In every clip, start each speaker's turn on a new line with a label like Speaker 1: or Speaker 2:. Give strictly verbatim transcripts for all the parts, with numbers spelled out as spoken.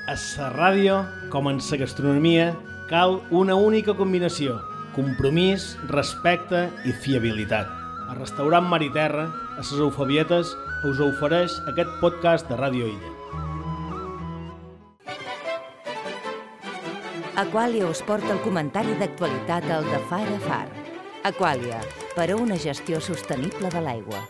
Speaker 1: A la ràdio, com en la gastronomia, cal una única combinació: compromís, respecte i fiabilitat. El restaurant Mar i Terra, a les Eufabietes, us ofereix aquest podcast de Ràdio Illa.
Speaker 2: Aquàlia us porta el comentari d'actualitat al de Far a Far. Aquàlia, per a una gestió sostenible de l'aigua.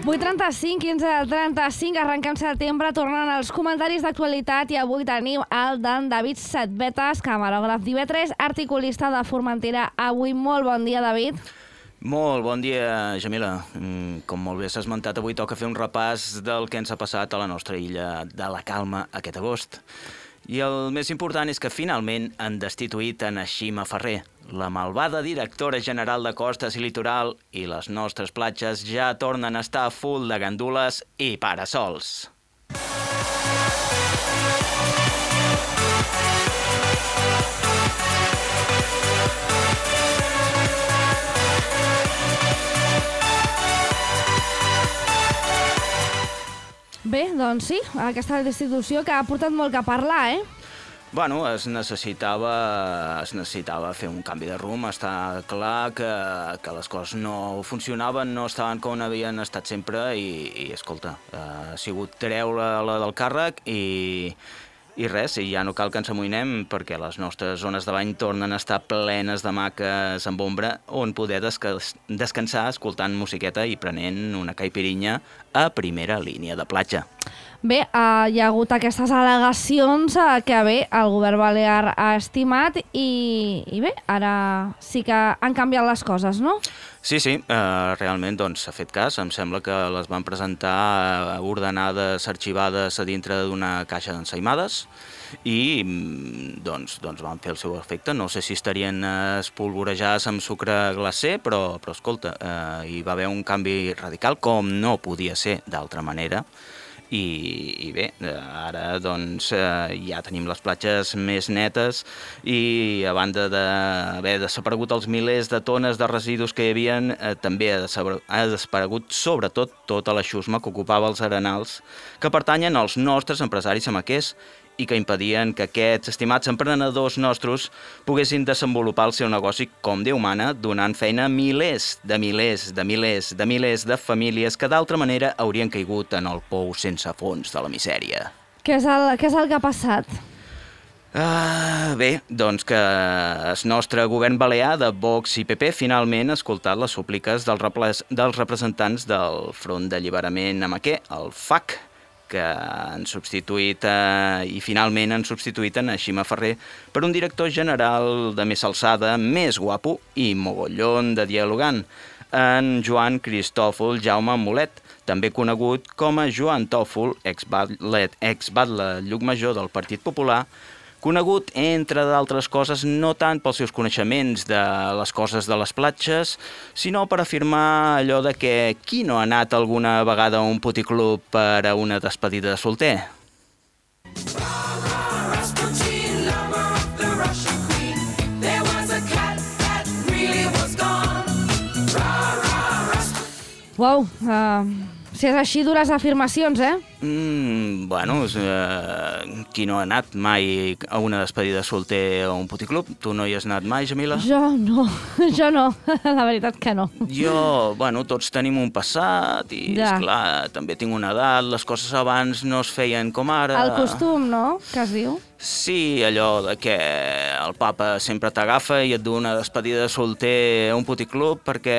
Speaker 3: vuit trenta-cinc, quinze trenta-cinc, arrenquem setembre, tornant als comentaris d'actualitat, i avui tenim el d'en David Setbetes, camarògraf d'I V tres, articulista de Formentera. Avui, molt bon dia, David.
Speaker 4: Molt bon dia, Jamila. Com molt bé s'ha esmentat, avui toca fer un repàs del que ens ha passat a la nostra illa de la Calma aquest agost. I el més important és que finalment han destituït en Xima Ferrer, la malvada directora general de Costes i Litoral, i les nostres platges ja tornen a estar full de gandules i parasols.
Speaker 3: Bé, doncs sí, aquesta destitució que ha portat molt que parlar, eh?
Speaker 4: Bueno, es necessitava, es necessitava fer un canvi de rumb. Està clar que, que les coses no funcionaven, no estaven com havien estat sempre i, i escolta, ha sigut treure-la del càrrec i, i res, i ja no cal que ens amoïnem perquè les nostres zones de bany tornen a estar plenes de maques amb ombra on poder desca descansar escoltant musiqueta i prenent una caipirinha a primera línia de platja.
Speaker 3: Bé, uh, hi ha hagut aquestes al·legacions uh, que bé, el govern balear ha estimat i, i bé, ara sí que han canviat les coses, no?
Speaker 4: Sí, sí, uh, realment doncs s'ha fet cas. Em sembla que les van presentar uh, ordenades, arxivades a dintre d'una caixa d'ensaïmades i doncs, doncs van fer el seu efecte. No sé si estarien uh, espolvorejades amb sucre glacer, però, però escolta, uh, hi va haver un canvi radical com no podia ser d'altra manera. I, i bé, ara doncs eh, ja tenim les platges més netes i a banda d'haver desaparegut els milers de tones de residus que hi havia, eh, també ha desaparegut sobretot tota la xusma que ocupava els arenals que pertanyen als nostres empresaris amaquers i que impedien que aquests estimats emprenedors nostres poguessin desenvolupar el seu negoci com Déu mana, donant feina a milers de milers de milers de milers de famílies que d'altra manera haurien caigut en el pou sense fons de la misèria.
Speaker 3: Què és el, què és el que ha passat?
Speaker 4: Uh, bé, doncs que el nostre govern balear de Vox i P P finalment ha escoltat les súpliques dels, reples, dels representants del Front d'Alliberament Amaquer, el F A C, que han substituït eh, i finalment han substituït en Xima Ferrer per un director general de més alçada, més guapo i mogollon de dialogant, en Joan Cristòfol Jaume Mulet, també conegut com a Joan Tòfol, ex-batlle ex Llucmajor del Partit Popular, conegut, entre d'altres coses, no tant pels seus coneixements de les coses de les platges, sinó per afirmar allò de que qui no ha anat alguna vegada a un puticlub per a una despedida de solter?
Speaker 3: Uau, uh, si és així, dures afirmacions, eh?
Speaker 4: Mm, bueno, eh, qui no ha anat mai a una despedida de solter o a un puticlub? Tu no hi has anat mai, Jamila?
Speaker 3: Jo no, jo no, la veritat que no.
Speaker 4: Jo, bueno, tots tenim un passat i, ja. esclar, també tinc una edat, les coses abans no es feien com ara.
Speaker 3: El costum, no?, que es diu.
Speaker 4: Sí, allò de que el papa sempre t'agafa i et du una despedida de solter a un puticlub perquè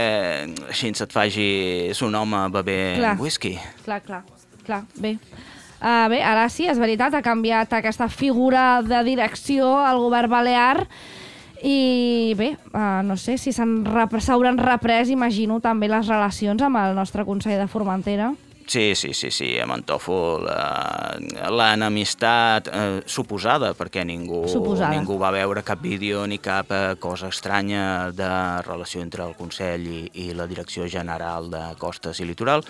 Speaker 4: així et facis un home bevent
Speaker 3: clar.
Speaker 4: whisky.
Speaker 3: Clar, clar. Clar, bé. Uh, bé, ara sí, és veritat, ha canviat aquesta figura de direcció al govern balear i bé, uh, no sé si s'hauran reprès, imagino, també les relacions amb el nostre Consell de Formentera.
Speaker 4: Sí, sí, sí, sí, amb en Tòfol l'enemistat eh, suposada, perquè ningú,
Speaker 3: suposada.
Speaker 4: ningú va veure cap vídeo ni cap eh, cosa estranya de relació entre el Consell i, i la Direcció General de Costes i Litoral.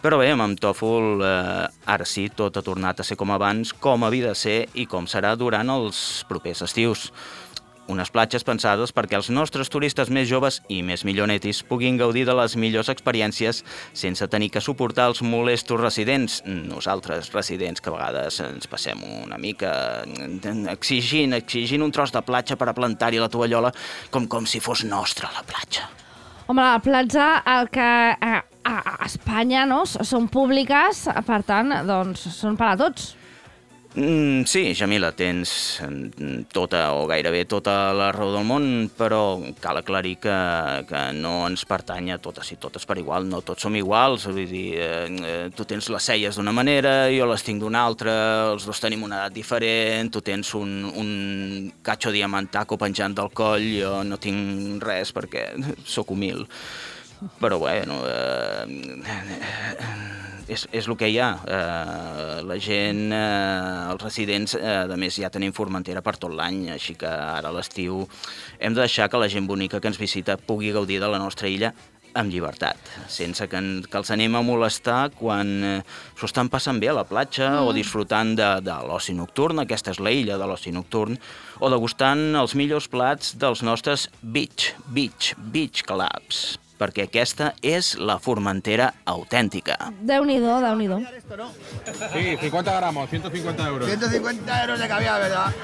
Speaker 4: Però bé, amb en Tòfol eh, ara sí, tot ha tornat a ser com abans, com havia de ser i com serà durant els propers estius. unes platges pensades perquè els nostres turistes més joves i més millonetis puguin gaudir de les millors experiències sense tenir que suportar els molestos residents, nosaltres residents que a vegades ens passem una mica exigint, exigint un tros de platja per a plantar-hi la tovallola com, com si fos nostra la platja.
Speaker 3: Home, la platja, el que a, a Espanya, no?, són públiques, per tant, doncs, són per a tots.
Speaker 4: Mm, sí, Jamila, tens tota o gairebé tota la raó del món, però cal aclarir que, que no ens pertany a totes i totes per igual, no tots som iguals, vull dir, eh, tu tens les celles d'una manera, jo les tinc d'una altra, els dos tenim una edat diferent, tu tens un, un catxo diamantaco penjant del coll, jo no tinc res perquè sóc humil, però bueno... Eh, És, és el que hi ha. Eh, la gent, eh, els residents, eh, a més ja tenim Formentera per tot l'any, així que ara a l'estiu hem de deixar que la gent bonica que ens visita pugui gaudir de la nostra illa amb llibertat, sense que, en, que els anem a molestar quan eh, s'ho estan passant bé a la platja mm. o disfrutant de, de l'oci nocturn, aquesta és la illa de l'oci nocturn, o degustant els millors plats dels nostres beach, beach, beach clubs, perquè aquesta és la Formentera autèntica.
Speaker 3: Déu-n'hi-do, Déu-n'hi-do.
Speaker 5: Sí, cincuenta gramos, ciento cincuenta euros.
Speaker 6: ciento cincuenta euros de caviar, ¿verdad?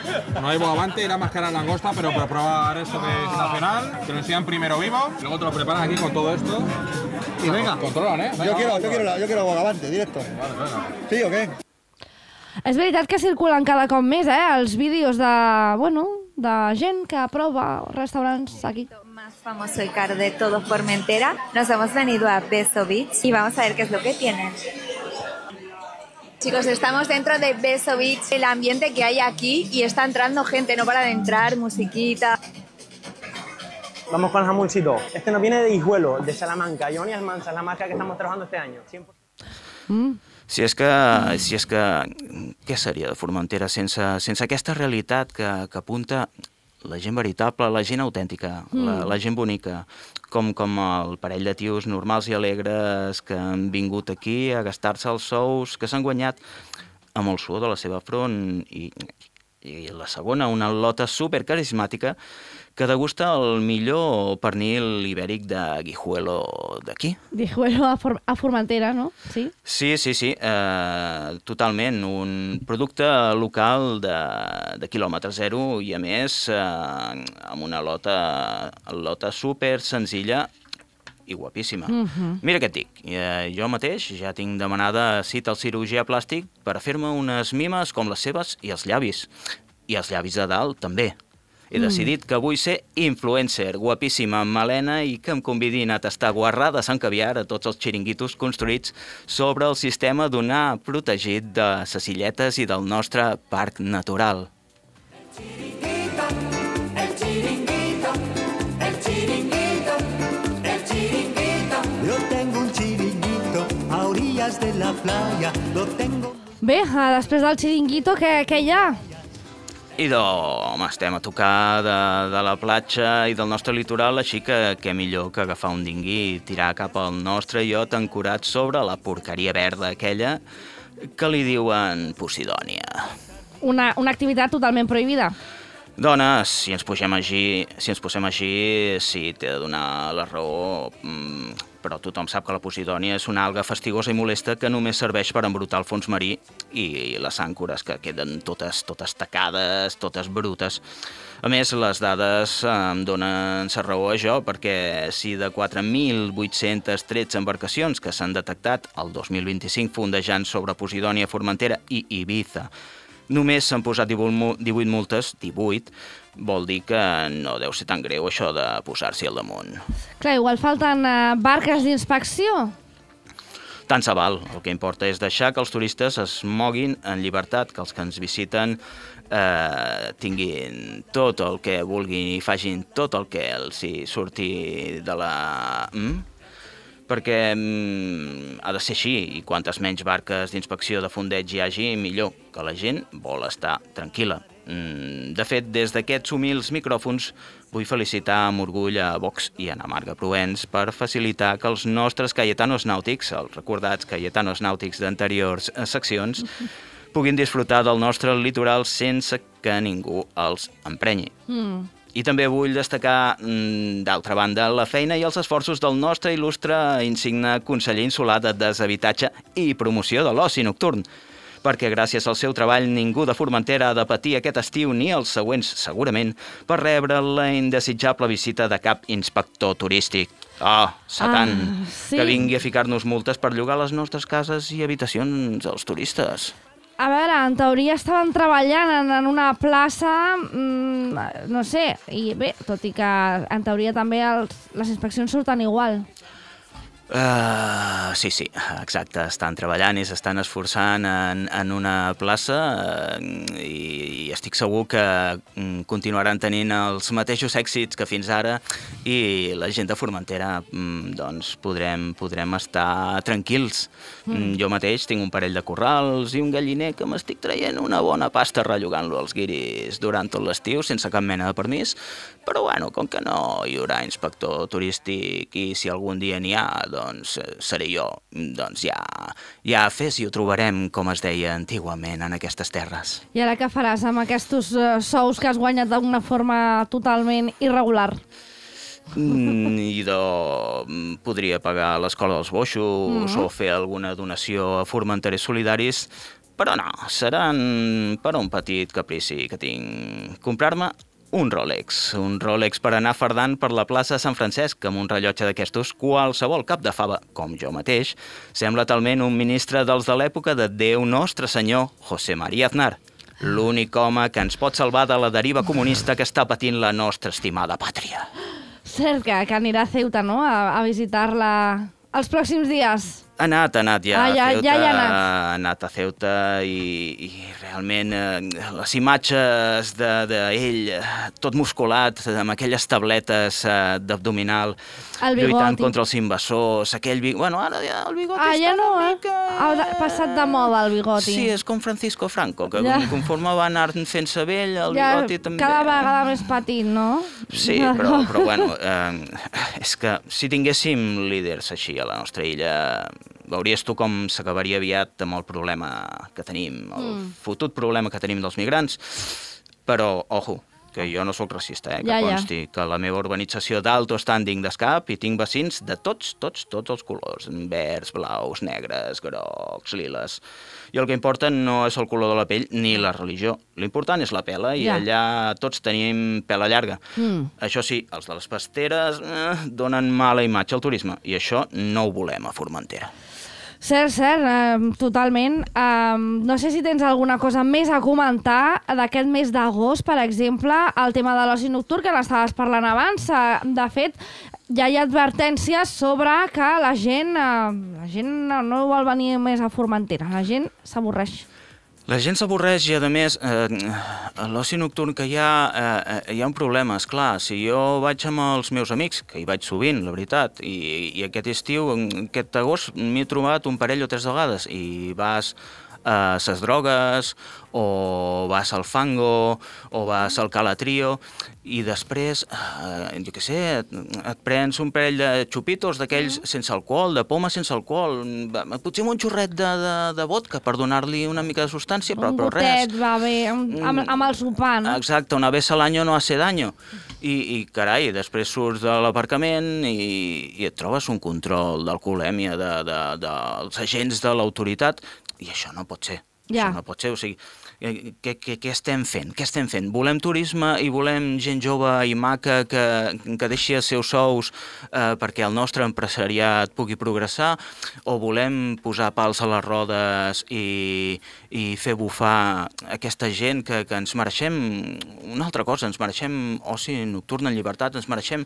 Speaker 5: No hay bogavante y la máscara langosta, pero para probar esto que es nacional, te lo enseñan primero vivo, luego te lo preparan aquí con todo esto. Y venga, controlan, ¿eh? Venga,
Speaker 6: yo, quiero,
Speaker 5: vamos,
Speaker 6: yo, quiero, yo quiero bogavante, directo.
Speaker 5: Vale, venga.
Speaker 6: ¿Sí o qué?
Speaker 3: És veritat que circulen cada cop més, eh, els vídeos de, bueno, de gent que prova restaurants aquí.
Speaker 7: Más famoso y caro de todo Formentera. Nos hemos venido a Beso Beach y vamos a ver qué es lo que tienen. Chicos, estamos dentro de Beso Beach, el ambiente que hay aquí y está entrando gente, no para de entrar, musiquita.
Speaker 8: Vamos con el jamoncito. Este nos viene de Hijuelo, de Salamanca. Johnny Almanza es la marca que estamos trabajando este año. cien por ciento.
Speaker 3: Mm.
Speaker 4: Si és que, si és que, què seria de Formentera sense, sense aquesta realitat que, que apunta la gent veritable, la gent autèntica, mm. la, la gent bonica, com, com el parell de tios normals i alegres que han vingut aquí a gastar-se els sous, que s'han guanyat amb el suor de la seva front, i, i la segona, una lota supercarismàtica que degusta el millor pernil ibèric de Guijuelo d'aquí.
Speaker 3: Guijuelo a, For a Formentera, no? Sí,
Speaker 4: sí, sí, sí eh, totalment. Un producte local de, de quilòmetre zero i, a més, eh, amb una lota, lota super senzilla i guapíssima.
Speaker 3: Mm-hmm.
Speaker 4: Mira què et dic, eh, jo mateix ja tinc demanada cita al cirurgià plàstic per a fer-me unes mimes com les seves i els llavis. I els llavis de dalt, també. He decidit que vull ser influencer, guapíssima, amb melena, i que em convidin a tastar guarrades amb caviar a tots els xiringuitos construïts sobre el sistema dunar protegit de ses illetes i del nostre parc natural.
Speaker 9: El chiringuito, el chiringuito, el chiringuito, el chiringuito. Yo tengo un chiringuito a orillas de la playa, lo tengo...
Speaker 3: Bé, després del xiringuito, què, què hi ha?
Speaker 4: I de, home, estem a tocar de, de la platja i del nostre litoral, així que què millor que agafar un dingui i tirar cap al nostre iot ancorat sobre la porqueria verda aquella que li diuen Posidònia.
Speaker 3: Una, una activitat totalment prohibida.
Speaker 4: Dones, si ens posem així, si ens posem així, sí, t'he de donar la raó, però tothom sap que la Posidònia és una alga fastigosa i molesta que només serveix per embrutar el fons marí i les àncores que queden totes, totes tacades, totes brutes. A més, les dades em donen la raó a jo, perquè si de quatre mil vuit-centes tretze embarcacions que s'han detectat el dos mil vint-i-cinc fondejant sobre Posidònia, Formentera i Ibiza, només s'han posat divuit multes, divuit, vol dir que no deu ser tan greu això de posar-s'hi al damunt.
Speaker 3: Clar, igual falten uh, barques d'inspecció.
Speaker 4: Tant se val. El que importa és deixar que els turistes es moguin en llibertat, que els que ens visiten eh, tinguin tot el que vulguin i facin tot el que els hi surti de la... Mm? perquè mm, ha de ser així, i quantes menys barques d'inspecció de fondeig hi hagi, millor, que la gent vol estar tranquil·la. Mm, de fet, des d'aquests humils micròfons vull felicitar amb orgull a Vox i a Ana Marga Provenç per facilitar que els nostres cayetanos nàutics, els recordats cayetanos nàutics d'anteriors seccions, puguin disfrutar del nostre litoral sense que ningú els emprenyi.
Speaker 3: Mm.
Speaker 4: I també vull destacar, d'altra banda, la feina i els esforços del nostre il·lustre insigne conseller insular de deshabitatge i promoció de l'oci nocturn, perquè gràcies al seu treball ningú de Formentera ha de patir aquest estiu ni els següents, segurament, per rebre la indesitjable visita de cap inspector turístic. Oh, Satan,
Speaker 3: ah, sí.
Speaker 4: que vingui a ficar-nos multes per llogar les nostres cases i habitacions als turistes.
Speaker 3: A veure, en teoria estaven treballant en, en una plaça, mmm, no sé, i bé, tot i que en teoria també els, les inspeccions surten igual.
Speaker 4: Uh, sí, sí, exacte, estan treballant i s'estan esforçant en, en una plaça uh, i, i estic segur que um, continuaran tenint els mateixos èxits que fins ara i la gent de Formentera um, doncs podrem, podrem estar tranquils. Mm. Um, jo mateix tinc un parell de corrals i un galliner que m'estic traient una bona pasta rellogant-lo als guiris durant tot l'estiu sense cap mena de permís, però bueno, com que no hi haurà inspector turístic i si algun dia n'hi ha, doncs seré jo, doncs ja, ja fes i ho trobarem, com es deia antigament en aquestes terres.
Speaker 3: I ara què faràs amb aquests uh, sous que has guanyat d'una forma totalment irregular?
Speaker 4: Mm, idò, podria pagar l'escola dels boixos mm. o fer alguna donació a formenterers solidaris, però no, seran per un petit caprici que tinc. Comprar-me un Rolex, un Rolex per anar fardant per la plaça de Sant Francesc amb un rellotge d'aquestos, qualsevol cap de fava, com jo mateix, sembla talment un ministre dels de l'època de Déu Nostre Senyor, José María Aznar, l'únic home que ens pot salvar de la deriva comunista que està patint la nostra estimada pàtria.
Speaker 3: Cert que, que anirà a Ceuta, no?, a, a visitar-la els pròxims dies.
Speaker 4: Ha anat, ha anat ja,
Speaker 3: ah, ja,
Speaker 4: a Ceuta,
Speaker 3: ja ha anat.
Speaker 4: ha anat a Ceuta i, i realment eh, les imatges d'ell de, de tot musculat, amb aquelles tabletes eh, d'abdominal, lluitant contra els invasors, aquell bigoti... Bueno, ara ja el bigoti
Speaker 3: ah,
Speaker 4: està
Speaker 3: ja no,
Speaker 4: una
Speaker 3: eh?
Speaker 4: mica...
Speaker 3: Ha passat de moda el bigoti.
Speaker 4: Sí, és com Francisco Franco, que ja. conforme va anar fent-se vell, el
Speaker 3: ja,
Speaker 4: bigoti també...
Speaker 3: cada vegada més petit, no?
Speaker 4: Sí, però, però bueno, eh, és que si tinguéssim líders així a la nostra illa... Veuries tu com s'acabaria aviat amb el problema que tenim, el mm. fotut problema que tenim dels migrants. Però, ojo, que jo no sóc racista, eh? Que
Speaker 3: ja,
Speaker 4: consti
Speaker 3: ja.
Speaker 4: que la meva urbanització d'alto standing d'Escap i tinc vecins de tots, tots, tots els colors. Verds, blaus, negres, grocs, liles. I el que importa no és el color de la pell ni la religió. L'important és la pela i ja. allà tots tenim pela llarga. Mm. Això sí, els de les pasteres eh, donen mala imatge al turisme i això no ho volem a Formentera.
Speaker 3: Cert, cert, eh, totalment. Eh, no sé si tens alguna cosa més a comentar d'aquest mes d'agost, per exemple, el tema de l'oci nocturn, que n'estaves parlant abans. Eh, de fet, ja hi ha advertències sobre que la gent, eh, la gent no vol venir més a Formentera, la gent s'avorreix.
Speaker 4: La gent s'avorreix i, a més, eh, a l'oci nocturn que hi ha, eh, hi ha un problema, esclar. Si jo vaig amb els meus amics, que hi vaig sovint, la veritat, i, i aquest estiu, aquest agost, m'he trobat un parell o tres vegades, i vas a ses drogues, o vas al fango, o vas al calatrio, i després, eh, jo què sé, et, et prens un parell de xupitos d'aquells mm. sense alcohol, de poma sense alcohol, potser amb un xorret de, de, de vodka per donar-li una mica de substància, però,
Speaker 3: un
Speaker 4: però res.
Speaker 3: Un gotet, va bé, amb, amb, amb el sopar, no?
Speaker 4: Exacte, una vez al año no hace daño. I, i carai, després surts de l'aparcament i, i et trobes un control d'alcoholèmia de, de, de, dels agents de l'autoritat, i això no pot ser. Ja. Això no pot ser, o sigui, què, què, què estem fent? Què estem fent? Volem turisme i volem gent jove i maca que, que deixi els seus sous eh, perquè el nostre empresariat pugui progressar, o volem posar pals a les rodes i, i fer bufar aquesta gent que, que ens mereixem una altra cosa, ens mereixem oci nocturn en llibertat, ens mereixem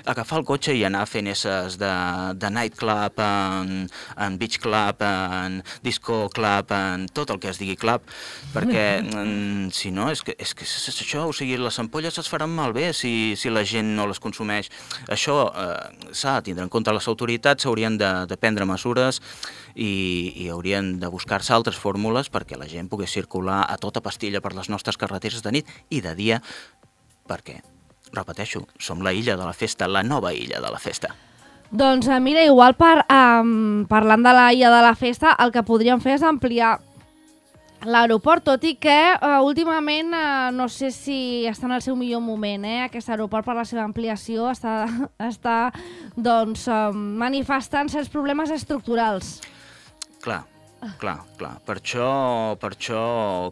Speaker 4: agafar el cotxe i anar fent esses de, de nightclub, en, en beach club, en disco club, en tot el que es digui club, perquè si no, és que, és que és això, o sigui, les ampolles es faran malbé si, si la gent no les consumeix. Això eh, s'ha de tindre en compte. Les autoritats haurien de, de prendre mesures i, i haurien de buscar-se altres fórmules perquè la gent pogués circular a tota pastilla per les nostres carreteres de nit i de dia, perquè, repeteixo, som la illa de la festa, la nova illa de la festa.
Speaker 3: Doncs mira, igual per, um, parlant de la illa de la festa, el que podríem fer és ampliar l'aeroport, tot i que uh, últimament uh, no sé si està en el seu millor moment, eh? Aquest aeroport per la seva ampliació està, està doncs, uh, manifestant certs problemes estructurals.
Speaker 4: Clar, clar, clar. Per això, per això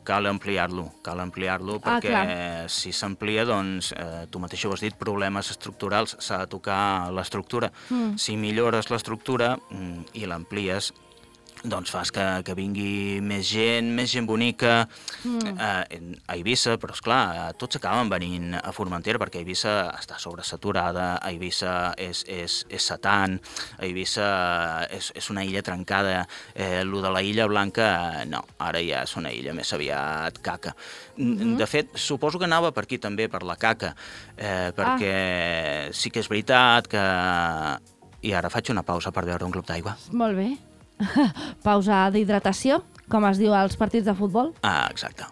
Speaker 4: cal ampliar-lo, cal ampliar-lo perquè
Speaker 3: ah,
Speaker 4: si s'amplia, doncs, eh, tu mateix ho has dit, problemes estructurals, s'ha de tocar l'estructura. Mm. Si millores l'estructura mm, i l'amplies, doncs fas que, que vingui més gent, més gent bonica mm. eh, a Eivissa, però esclar, tots acaben venint a Formentera perquè Eivissa està sobresaturada, Eivissa és, és, és Satan, Eivissa és, és una illa trencada, eh, lo de la illa blanca, no, ara ja és una illa més aviat caca. Mm-hmm. De fet, suposo que anava per aquí també, per la caca, eh, perquè ah. sí que és veritat que... I ara faig una pausa per beure un glob d'aigua.
Speaker 3: Molt bé. Pausa d'hidratació, com es diu als partits de futbol.
Speaker 4: Ah, exacte.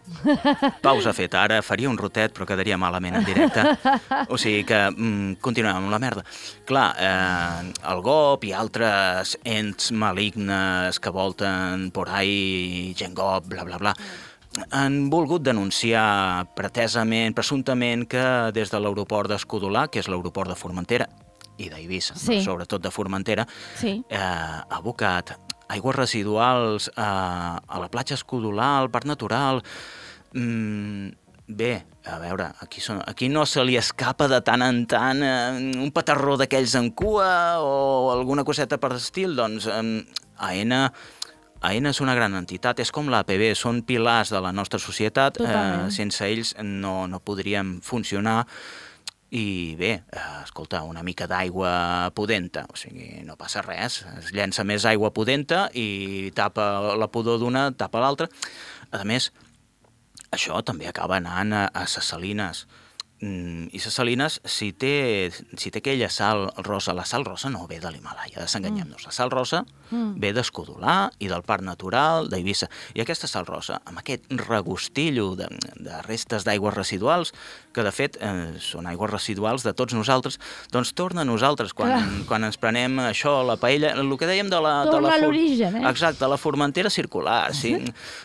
Speaker 4: Pausa feta. Ara faria un rotet, però quedaria malament en directe. O sigui que mm, continuem amb la merda. Clar, eh, el G O P i altres ents malignes que volten por ahí, gent G O P, bla, bla, bla, han volgut denunciar pretesament, presumptament, que des de l'aeroport d'Escudolà, que és l'aeroport de Formentera, i d'Eivissa, sí. no? Sobretot de Formentera, sí. eh, ha abocat aigües residuals eh, a la platja Escudolà, al parc natural. Mm, bé, a veure, aquí, són, aquí no se li escapa de tant en tant eh, un petarró d'aquells en cua o alguna coseta per l'estil, doncs eh, AENA... AENA és una gran entitat, és com l'A P B, són pilars de la nostra societat, eh, sense ells no, no podríem funcionar. I bé, escolta, una mica d'aigua pudenta, o sigui, no passa res, es llença més aigua pudenta i tapa la pudor d'una, tapa l'altra. A més, això també acaba anant a, a ses salines. Mm, I ses salines, si té, si té aquella sal rosa, la sal rosa no ve de l'Himàlaia, desenganyem-nos. La sal rosa mm. ve d'Escudolà i del Parc Natural d'Eivissa. I aquesta sal rosa, amb aquest regustillo de, de restes d'aigües residuals, que de fet eh, són aigües residuals de tots nosaltres, doncs torna a nosaltres quan, quan ens prenem això, la paella, el que dèiem de la...
Speaker 3: Torna
Speaker 4: de la
Speaker 3: a l'origen, eh?
Speaker 4: Exacte, la Formentera circular, sí.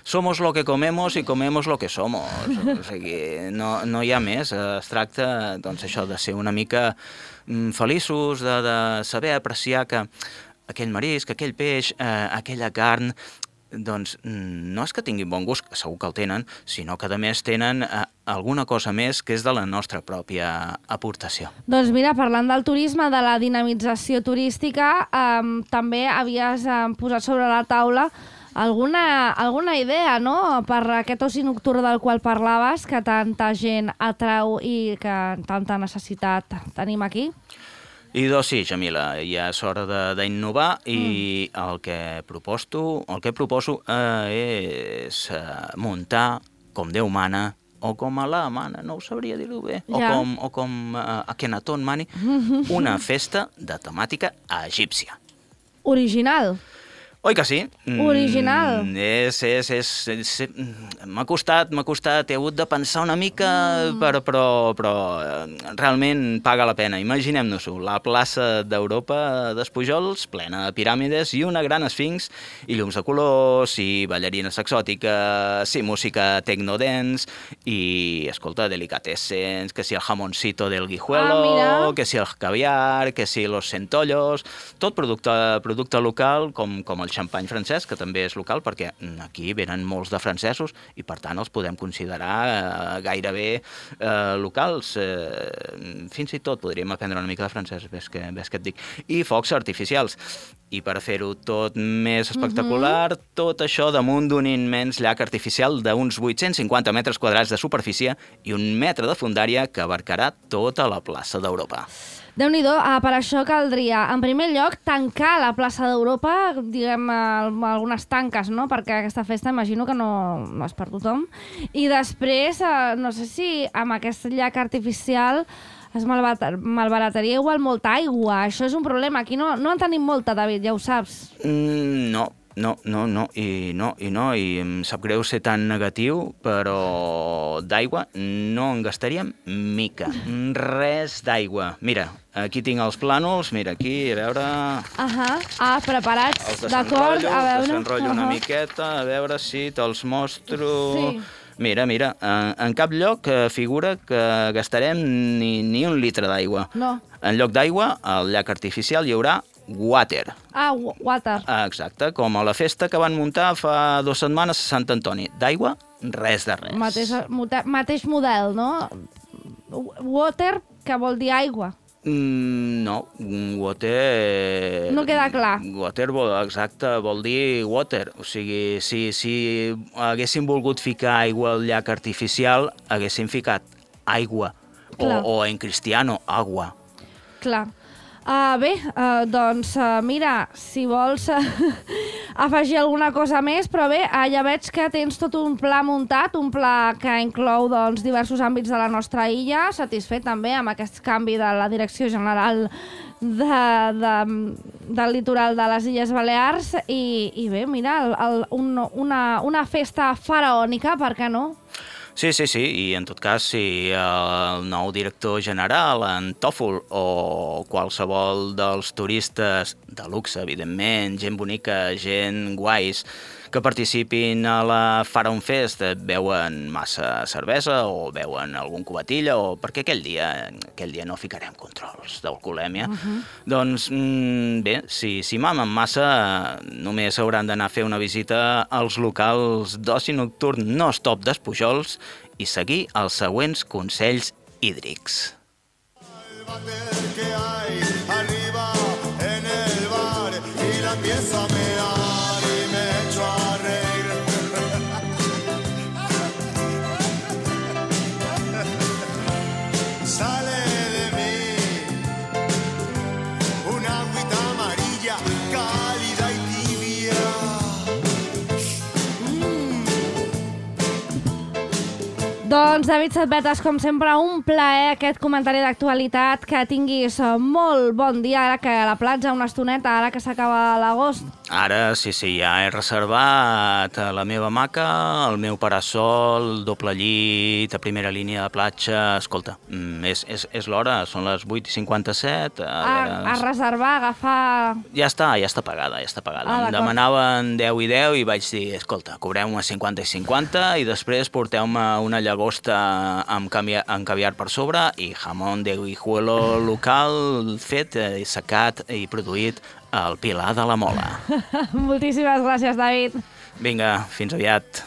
Speaker 4: Somos lo que comemos y comemos lo que somos. O sigui, no, no hi ha més. Es tracta, doncs, això, de ser una mica mm, feliços, de, de saber apreciar que aquell marisc, aquell peix, eh, aquella carn, doncs no és que tinguin bon gust, segur que el tenen, sinó que a més tenen eh, alguna cosa més que és de la nostra pròpia aportació.
Speaker 3: Doncs mira, parlant del turisme, de la dinamització turística, eh, també havies eh, posat sobre la taula alguna, alguna idea, no?, per aquest oci nocturn del qual parlaves, que tanta gent atrau i que tanta necessitat tenim aquí.
Speaker 4: I doncs sí, Jamila, ja és hora d'innovar i mm. el que proposto, el que proposo eh, és eh, muntar com Déu mana, o com Alà mana, no ho sabria dir-ho bé, ja. o com, o com uh, Akhenaton mani, una festa de temàtica egípcia.
Speaker 3: Original.
Speaker 4: Oi que sí?
Speaker 3: Original.
Speaker 4: Mm, és, és, és, és, m'ha costat, m'ha costat, he hagut de pensar una mica, mm. però, però, però realment paga la pena. Imaginem-nos-ho, la plaça d'Europa d'Espujols, plena de piràmides i una gran esfinx, i llums de colors, i ballarines exòtiques, i música tecnodance, i, escolta, delicatessens, que si el jamoncito del guijuelo, ah, que si el caviar, que si los centollos, tot producte, producte local, com, com el xampany francès, que també és local, perquè aquí venen molts de francesos i, per tant, els podem considerar eh, gairebé eh, locals. Eh, fins i tot podríem aprendre una mica de francès, ves que, ves que et dic. I focs artificials. I per fer-ho tot més espectacular, uh-huh. tot això damunt d'un immens llac artificial d'uns vuit-cents cinquanta metres quadrats de superfície i un metre de fondària que abarcarà tota la plaça d'Europa.
Speaker 3: Déu-n'hi-do, ah, per això caldria, en primer lloc, tancar la plaça d'Europa, diguem, algunes tanques, no?, perquè aquesta festa imagino que no, no és per tothom. I després, eh, no sé si amb aquest llac artificial es malbarataria igual molta aigua. Això és un problema. Aquí no, no en tenim molta, David, ja ho saps.
Speaker 4: Mm, no. no, no, no, i no, i no, i em sap greu ser tan negatiu, però d'aigua no en gastaríem mica, res d'aigua. Mira, aquí tinc els plànols, mira, aquí, a veure...
Speaker 3: Ahà, ah, preparats, d'acord, a veure...
Speaker 4: Els desenrotllo una miqueta, a veure si te'ls mostro... Sí. Mira, mira, en, en cap lloc figura que gastarem ni, ni un litre d'aigua.
Speaker 3: No.
Speaker 4: En lloc d'aigua, al llac artificial hi haurà water.
Speaker 3: Ah, water.
Speaker 4: Exacte, com a la festa que van muntar fa dues setmanes a Sant Antoni. D'aigua, res de res.
Speaker 3: Mateix, mateix model, no? Water, que vol dir aigua.
Speaker 4: Mm, no, water...
Speaker 3: No queda clar.
Speaker 4: Water, vol, exacte, vol dir water. O sigui, si, si haguéssim volgut ficar aigua al llac artificial, haguéssim ficat aigua. O, o en cristiano, agua.
Speaker 3: Clar. Uh, bé, uh, doncs uh, mira, si vols uh, afegir alguna cosa més, però bé, uh, ja veig que tens tot un pla muntat, un pla que inclou doncs, diversos àmbits de la nostra illa, satisfet també amb aquest canvi de la Direcció General de, de, del litoral de les Illes Balears i, i bé, mira, el, el, un, una, una festa faraònica, per què no?
Speaker 4: Sí, sí, sí, i en tot cas, si el nou director general, en Tòfol, o qualsevol dels turistes de luxe, evidentment, gent bonica, gent guais, que participin a la Faraon Fest, beuen massa cervesa o beuen algun cubatilla, o perquè aquell dia aquell dia no ficarem controls d'alcoholèmia, uh-huh. Doncs mm, bé, si, si mamen massa, només hauran d'anar a fer una visita als locals d'oci nocturn no stop d'Espujols i seguir els següents consells hídrics.
Speaker 3: Doncs, David Setbetes, com sempre, un plaer aquest comentari d'actualitat, que tinguis molt bon dia, ara que a la platja una estoneta, ara que s'acaba l'agost.
Speaker 4: Ara, sí, sí, ja he reservat la meva hamaca, el meu parasol, doble llit, a primera línia de platja. Escolta, és, és, és l'hora, són les vuit i cinquanta-set. A,
Speaker 3: a, a reservar, a agafar...
Speaker 4: Ja està, ja està pagada, ja està pagada. Ah, em demanaven deu i deu i vaig dir, escolta, cobreu-me cinquanta i cinquanta i després porteu-me una llagosta amb, caviar, amb caviar per sobre i jamón de guijuelo local fet, secat i produït al Pilar de la Mola.
Speaker 3: Moltíssimes gràcies, David.
Speaker 4: Vinga, fins aviat.